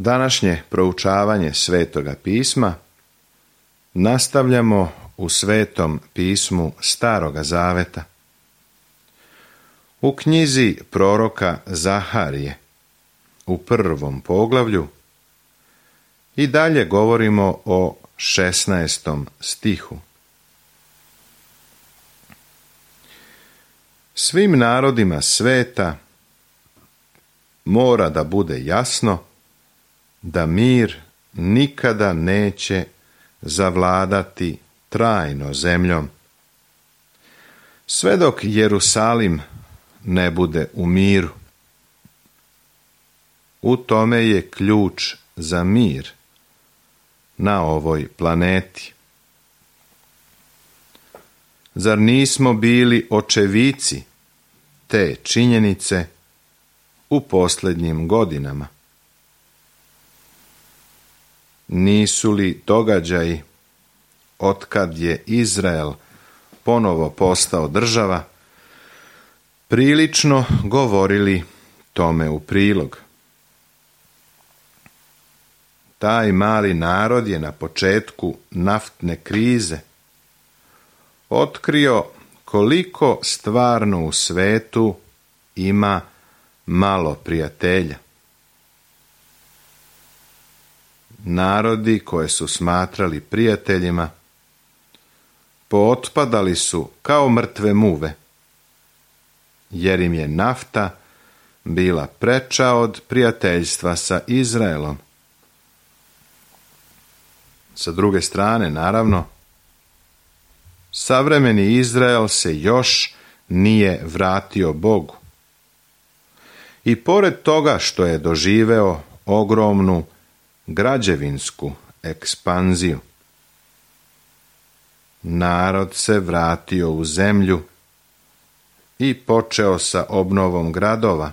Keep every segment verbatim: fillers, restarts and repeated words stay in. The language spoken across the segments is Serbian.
Današnje proučavanje Svetoga pisma nastavljamo u Svetom pismu Staroga zaveta. U knjizi proroka Zaharije, u prvom poglavlju, i dalje govorimo o šesnaestom stihu. Svim narodima sveta mora da bude jasno da mir nikada neće zavladati trajno zemljom, sve dok Jerusalim ne bude u miru. U tome je ključ za mir na ovoj planeti. Zar nismo bili očevici te činjenice u posljednjim godinama? Nisu li događaji otkad je Izrael ponovo postao država prilično govorili tome u prilog? Taj mali narod je na početku naftne krize otkrio koliko stvarno u svetu ima malo prijatelja. Narodi koje su smatrali prijateljima pootpadali su kao mrtve muve, jer im je nafta bila preča od prijateljstva sa Izraelom. Sa druge strane, naravno, savremeni Izrael se još nije vratio Bogu. I pored toga što je doživeo ogromnu građevinsku ekspanziju, narod se vratio u zemlju i počeo sa obnovom gradova.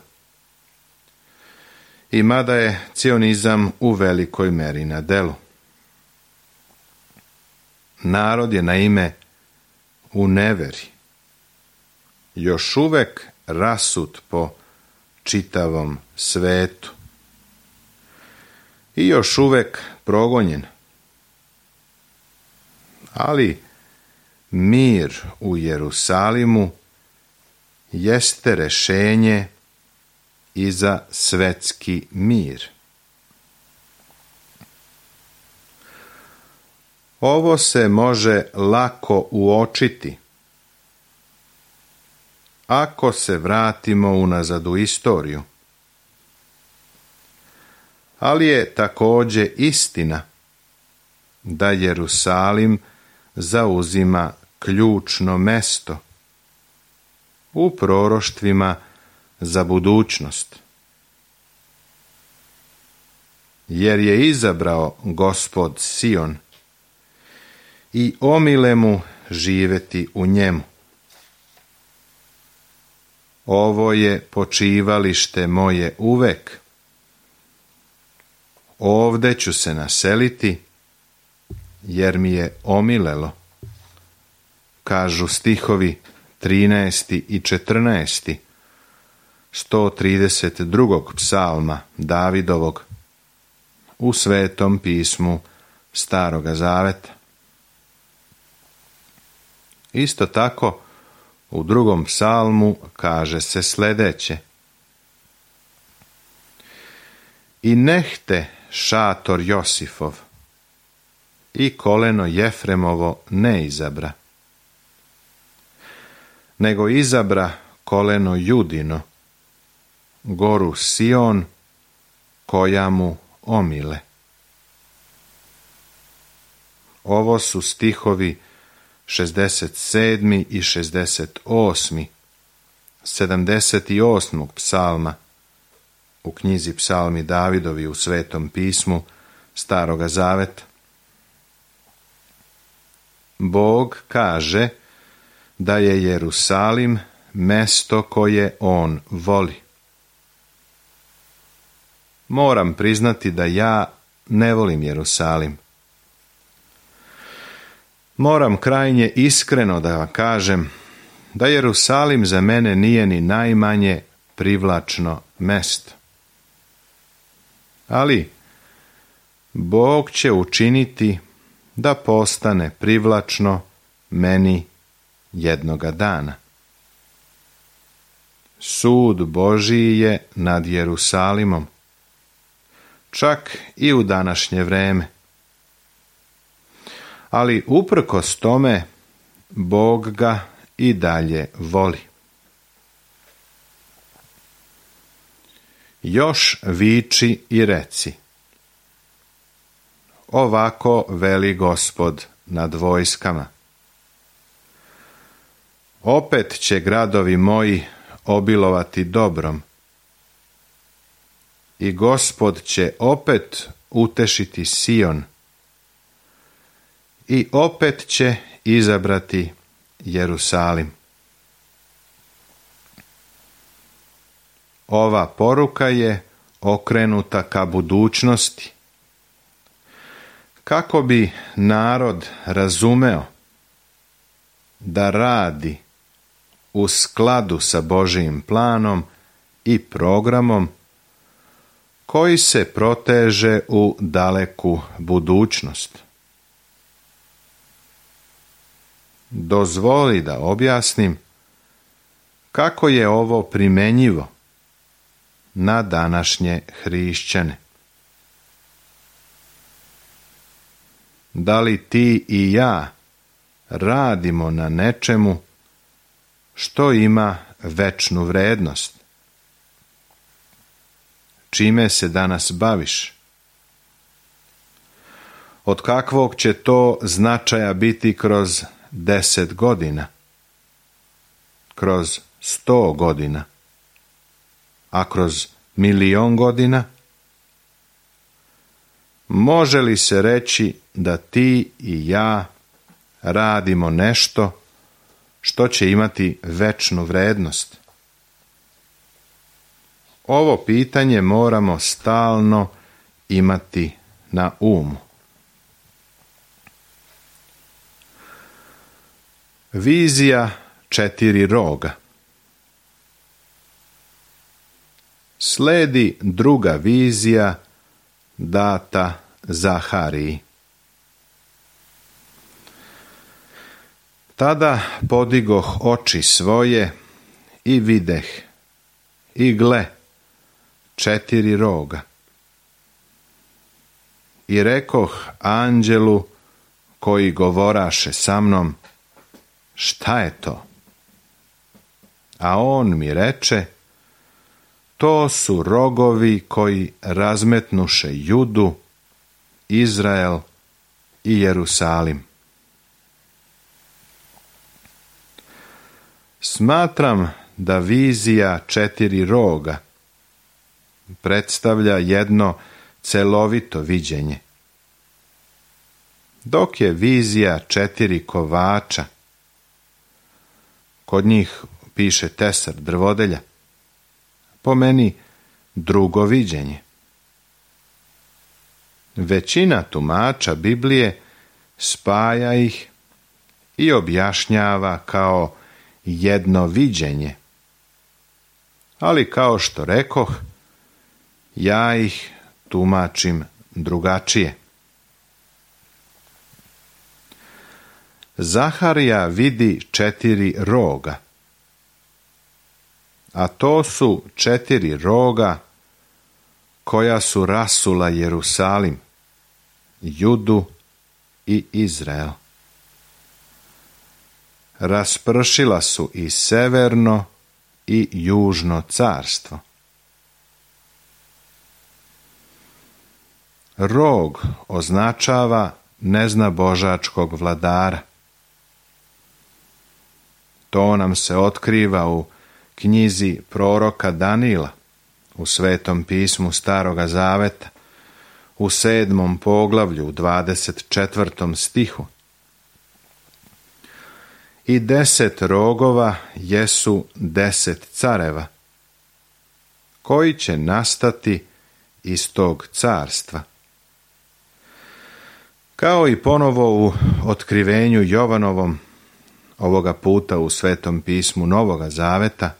I mada je cionizam u velikoj meri na delu. Narod je naime u neveri, još uvek rasut po čitavom svetu i još uvek progonjen. Ali mir u Jerusalimu jeste rešenje i za svetski mir. Ovo se može lako uočiti ako se vratimo unazad u istoriju. Ali je također istina da Jerusalim zauzima ključno mesto u proroštvima za budućnost. Jer je izabrao Gospod Sion i omile mu živeti u njemu. Ovo je počivalište moje uvek. Ovde ću se naseliti, jer mi je omilelo, kažu stihovi trinaesti i četrnaesti sto trideset drugog psalma Davidovog u Svetom pismu Staroga zaveta. Isto tako, u drugom psalmu kaže se sljedeće: I nehte šator Josifov i koleno Jefremovo ne izabra, nego izabra koleno Judino, goru Sion, koja mu omile. Ovo su stihovi šezdeset sedmi i šezdeset osmi sedamdeset osmog psalma u knjizi Psalmi Davidovi u Svetom pismu Staroga zaveta. Bog kaže da je Jerusalim mesto koje on voli. Moram priznati da ja ne volim Jerusalim. Moram krajnje iskreno da vam kažem da Jerusalim za mene nije ni najmanje privlačno mesto. Ali Bog će učiniti da postane privlačno meni jednoga dana. Sud Božiji je nad Jerusalimom, čak i u današnje vreme. Ali uprkos tome, Bog ga i dalje voli. Još viči i reci: ovako veli Gospod nad vojskama. Opet će gradovi moji obilovati dobrom i Gospod će opet utešiti Sion i opet će izabrati Jerusalim. Ova poruka je okrenuta ka budućnosti, kako bi narod razumeo da radi u skladu sa Božijim planom i programom koji se proteže u daleku budućnost. Dozvoli da objasnim kako je ovo primenjivo na današnje hrišćane. Da li ti i ja radimo na nečemu što ima večnu vrednost? Čime se danas baviš? Od kakvog će to značaja biti kroz deset godina? Kroz sto godina? A kroz milion godina? Može li se reći da ti i ja radimo nešto što će imati večnu vrednost? Ovo pitanje moramo stalno imati na umu. Vizija četiri roga. Sledi druga vizija data Zahariji. Tada podigoh oči svoje i videh, i gle, četiri roga. I rekoh anđelu koji govoraše sa mnom: šta je to? A on mi reče: to su rogovi koji razmetnuše Judu, Izrael i Jerusalim. Smatram da vizija četiri roga predstavlja jedno celovito viđenje, dok je vizija četiri kovača, kod njih piše tesar drvodelja, po meni drugo viđenje. Većina tumača Biblije spaja ih i objašnjava kao jedno viđenje, ali kao što rekoh, ja ih tumačim drugačije. Zaharija vidi četiri roga, a to su četiri roga koja su rasula Jerusalim, Judu i Izrael. Raspršila su i severno i južno carstvo. Rog označava neznabožačkog vladara. To nam se otkriva u knjizi proroka Danila, u Svetom pismu Staroga Zaveta, u sedmom poglavlju, u dvadeset četvrtom stihu. I deset rogova jesu deset careva, koji će nastati iz tog carstva. Kao i ponovo u otkrivenju Jovanovom, ovoga puta u Svetom pismu Novoga Zaveta,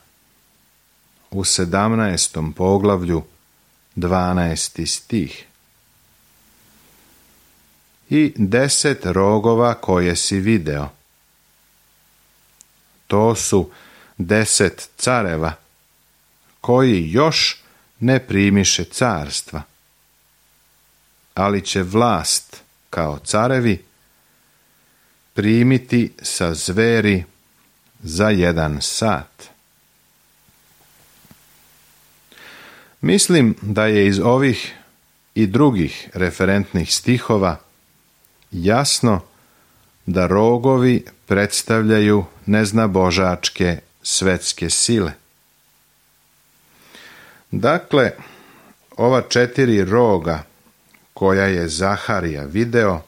u sedamnaestom poglavlju, dvanaesti stih. i deset rogova koje si video. To su deset careva, koji još ne primiše carstva, ali će vlast, kao carevi, primiti sa zveri za jedan sat. Mislim da je iz ovih i drugih referentnih stihova jasno da rogovi predstavljaju neznabožačke svetske sile. Dakle, ova četiri roga koja je Zaharija video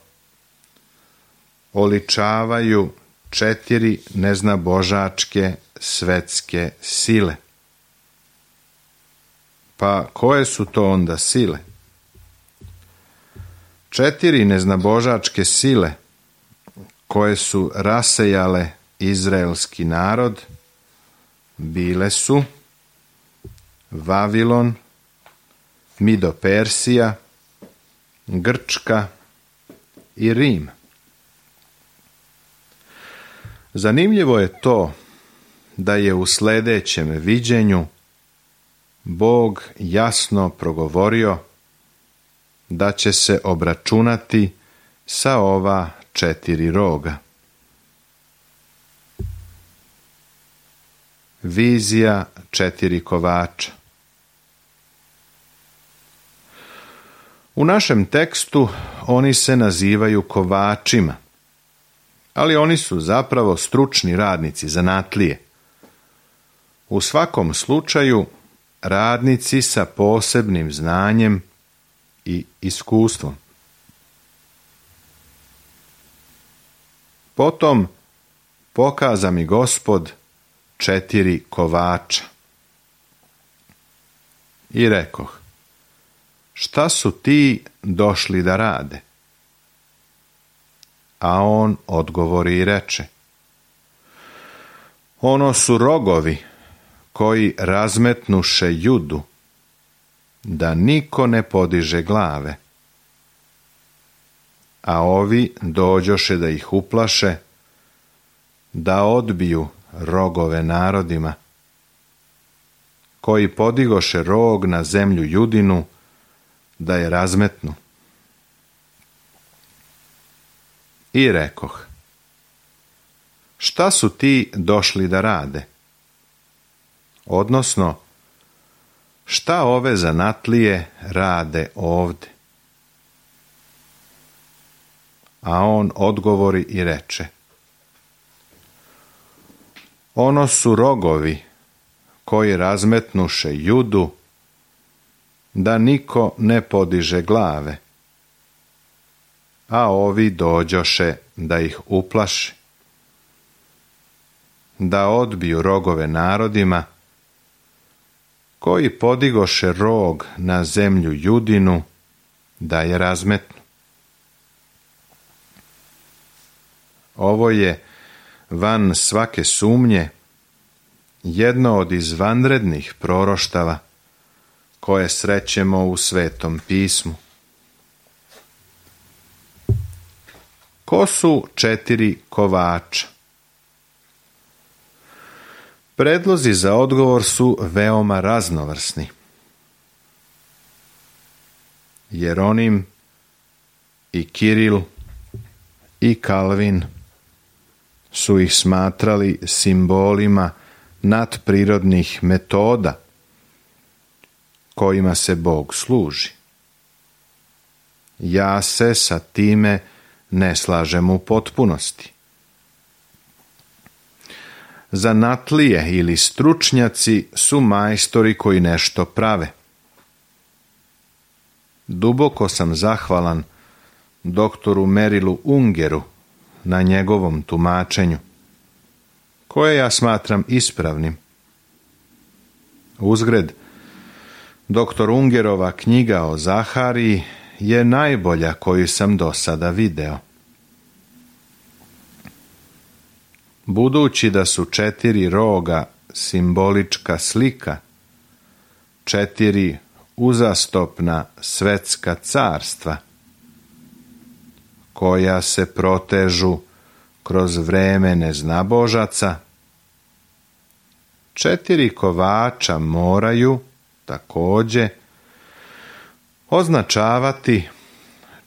oličavaju četiri neznabožačke svetske sile. Pa koje su to onda sile? Četiri neznabožačke sile koje su rasejale izraelski narod bile su Vavilon, Mido-Persija, Grčka i Rim. Zanimljivo je to da je u sljedećem viđenju Bog jasno progovorio da će se obračunati sa ova četiri roga. Vizija četiri kovača. U našem tekstu oni se nazivaju kovačima, ali oni su zapravo stručni radnici, zanatlije. U svakom slučaju radnici sa posebnim znanjem i iskustvom. Potom pokaza mi Gospod četiri kovača. I rekoh, šta su ti došli da rade? A on odgovori i reče, ono su rogovi koji razmetnuše Judu, da niko ne podiže glave. A ovi dođoše da ih uplaše, da odbiju rogove narodima, koji podigoše rog na zemlju Judinu, da je razmetnu. I rekoh, šta su ti došli da rade? Odnosno, šta ove zanatlije rade ovde? A on odgovori i reče, ono su rogovi koji razmetnuše Judu, da niko ne podiže glave, a ovi dođoše da ih uplaši, da odbiju rogove narodima, koji podigoše rog na zemlju Judinu, da je razmetnu. Ovo je, van svake sumnje, jedno od izvanrednih proroštava koje srećemo u Svetom pismu. Ko su četiri kovača? Predlozi za odgovor su veoma raznovrsni. Jeronim i Kiril i Kalvin su ih smatrali simbolima nadprirodnih metoda kojima se Bog služi. Ja se sa time ne slažem u potpunosti. Zanatlije ili stručnjaci su majstori koji nešto prave. Duboko sam zahvalan doktoru Merilu Ungeru na njegovom tumačenju, koje ja smatram ispravnim. Uzgred, doktor Ungerova knjiga o Zahariji je najbolja koju sam do sada video. Budući da su četiri roga simbolička slika, četiri uzastopna svetska carstva, koja se protežu kroz vreme neznabožaca, četiri kovača moraju također označavati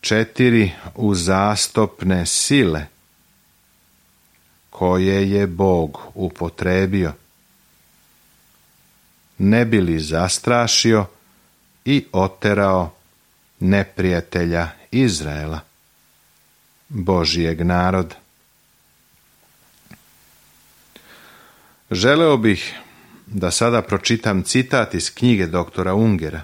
četiri uzastopne sile koje je Bog upotrebio, ne bi li zastrašio i oterao neprijatelja Izraela, Božijeg naroda. Želeo bih da sada pročitam citat iz knjige doktora Ungera.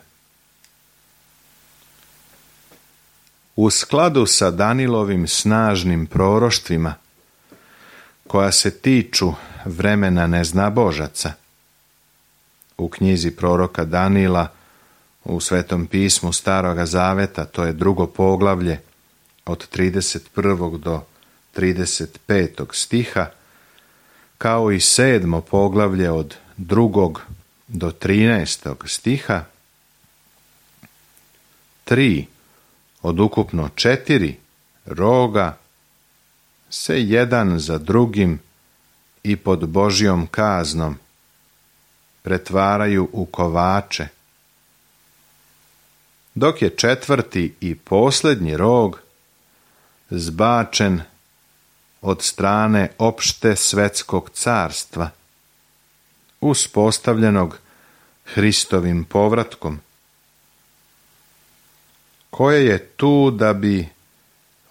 U skladu sa Danilovim snažnim proroštvima, koja se tiču vremena neznabožaca, u knjizi proroka Danila u Svetom pismu Staroga Zaveta, to je drugo poglavlje od trideset prvog do trideset petog stiha, kao i sedmo poglavlje od drugog do trinaestog stiha, tri od ukupno četiri roga se jedan za drugim i pod Božjom kaznom pretvaraju u kovače, dok je četvrti i posljednji rog zbačen od strane opšte svetskog carstva, uspostavljenog Hristovim povratkom, koje je tu da bi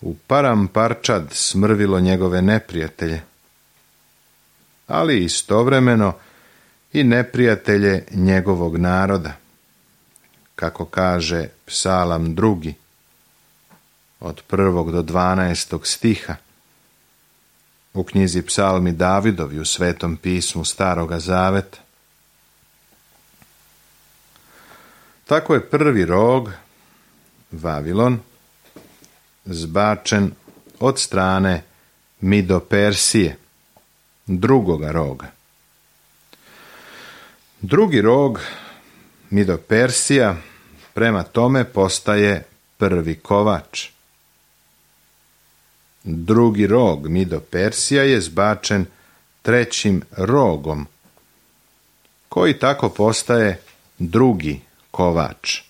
u paramparčad smrvilo njegove neprijatelje, ali istovremeno i neprijatelje njegovog naroda, kako kaže Psalam drugi, od prvog do dvanaestog stiha, u knjizi Psalmi Davidovi u Svetom pismu Staroga Zaveta. Tako je prvi rog, Vavilon, zbačen od strane Mido-Persije, drugoga roga. Drugi rog, Mido-Persija, prema tome postaje prvi kovač. Drugi rog, Mido-Persija, je zbačen trećim rogom, koji tako postaje drugi kovač.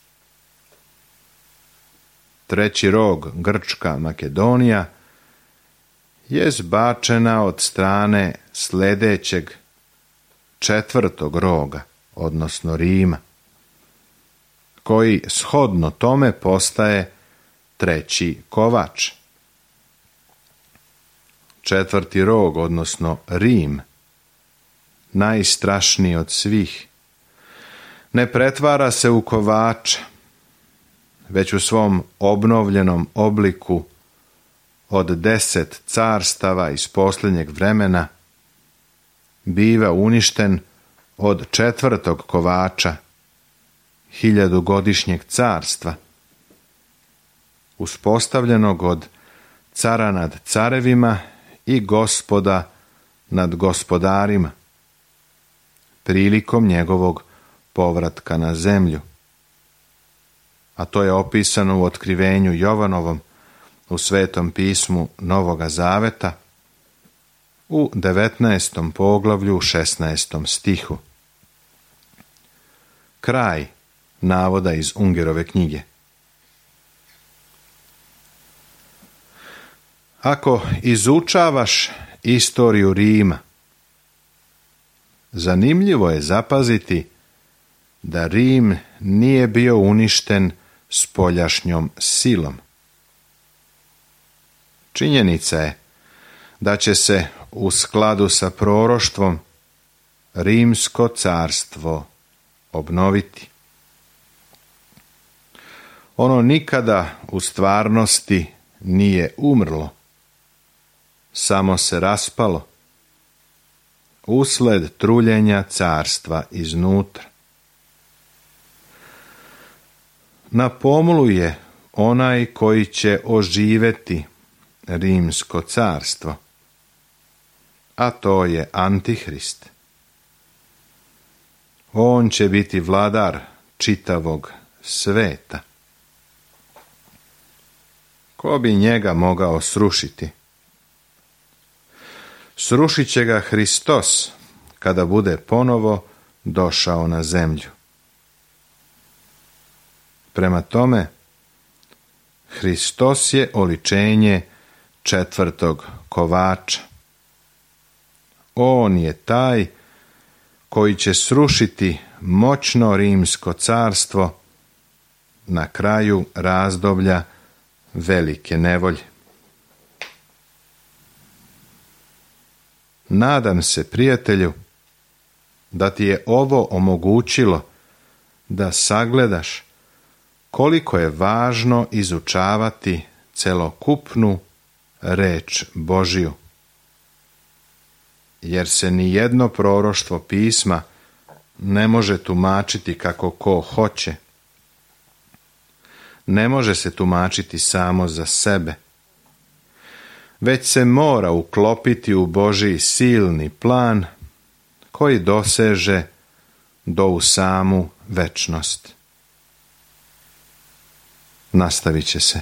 Treći rog, Grčka Makedonija, je zbačena od strane sljedećeg četvrtog roga, odnosno Rima, koji shodno tome postaje treći kovač. Četvrti rog, odnosno Rim, najstrašniji od svih, ne pretvara se u kovača, već u svom obnovljenom obliku od deset carstava iz posljednjeg vremena biva uništen od četvrtog kovača, hiljadugodišnjeg carstva, uspostavljenog od cara nad carevima i gospoda nad gospodarima, prilikom njegovog povratka na zemlju. A to je opisano u otkrivenju Jovanovom u Svetom pismu Novoga Zaveta u devetnaestom poglavlju u šesnaestom stihu. Kraj navoda iz Ungerove knjige. Ako izučavaš istoriju Rima, zanimljivo je zapaziti da Rim nije bio uništen spoljašnjom silom. Činjenica je da će se u skladu sa proroštvom Rimsko carstvo obnoviti. Ono nikada u stvarnosti nije umrlo, samo se raspalo usled truljenja carstva iznutra. Na pomolu je onaj koji će oživeti Rimsko carstvo, a to je Antihrist. On će biti vladar čitavog sveta. ko bi njega mogao srušiti? Srušit će ga Hristos kada bude ponovo došao na zemlju. Prema tome, Hristos je oličenje četvrtog kovača. On je taj koji će srušiti moćno rimsko carstvo na kraju razdoblja velike nevolje. Nadam se, prijatelju, da ti je ovo omogućilo da sagledaš koliko je važno izučavati celokupnu reč Božiju, jer se ni jedno proroštvo pisma ne može tumačiti kako ko hoće. Ne može se tumačiti samo za sebe, već se mora uklopiti u Božji silni plan koji doseže do u samu večnost. Nastavit će se.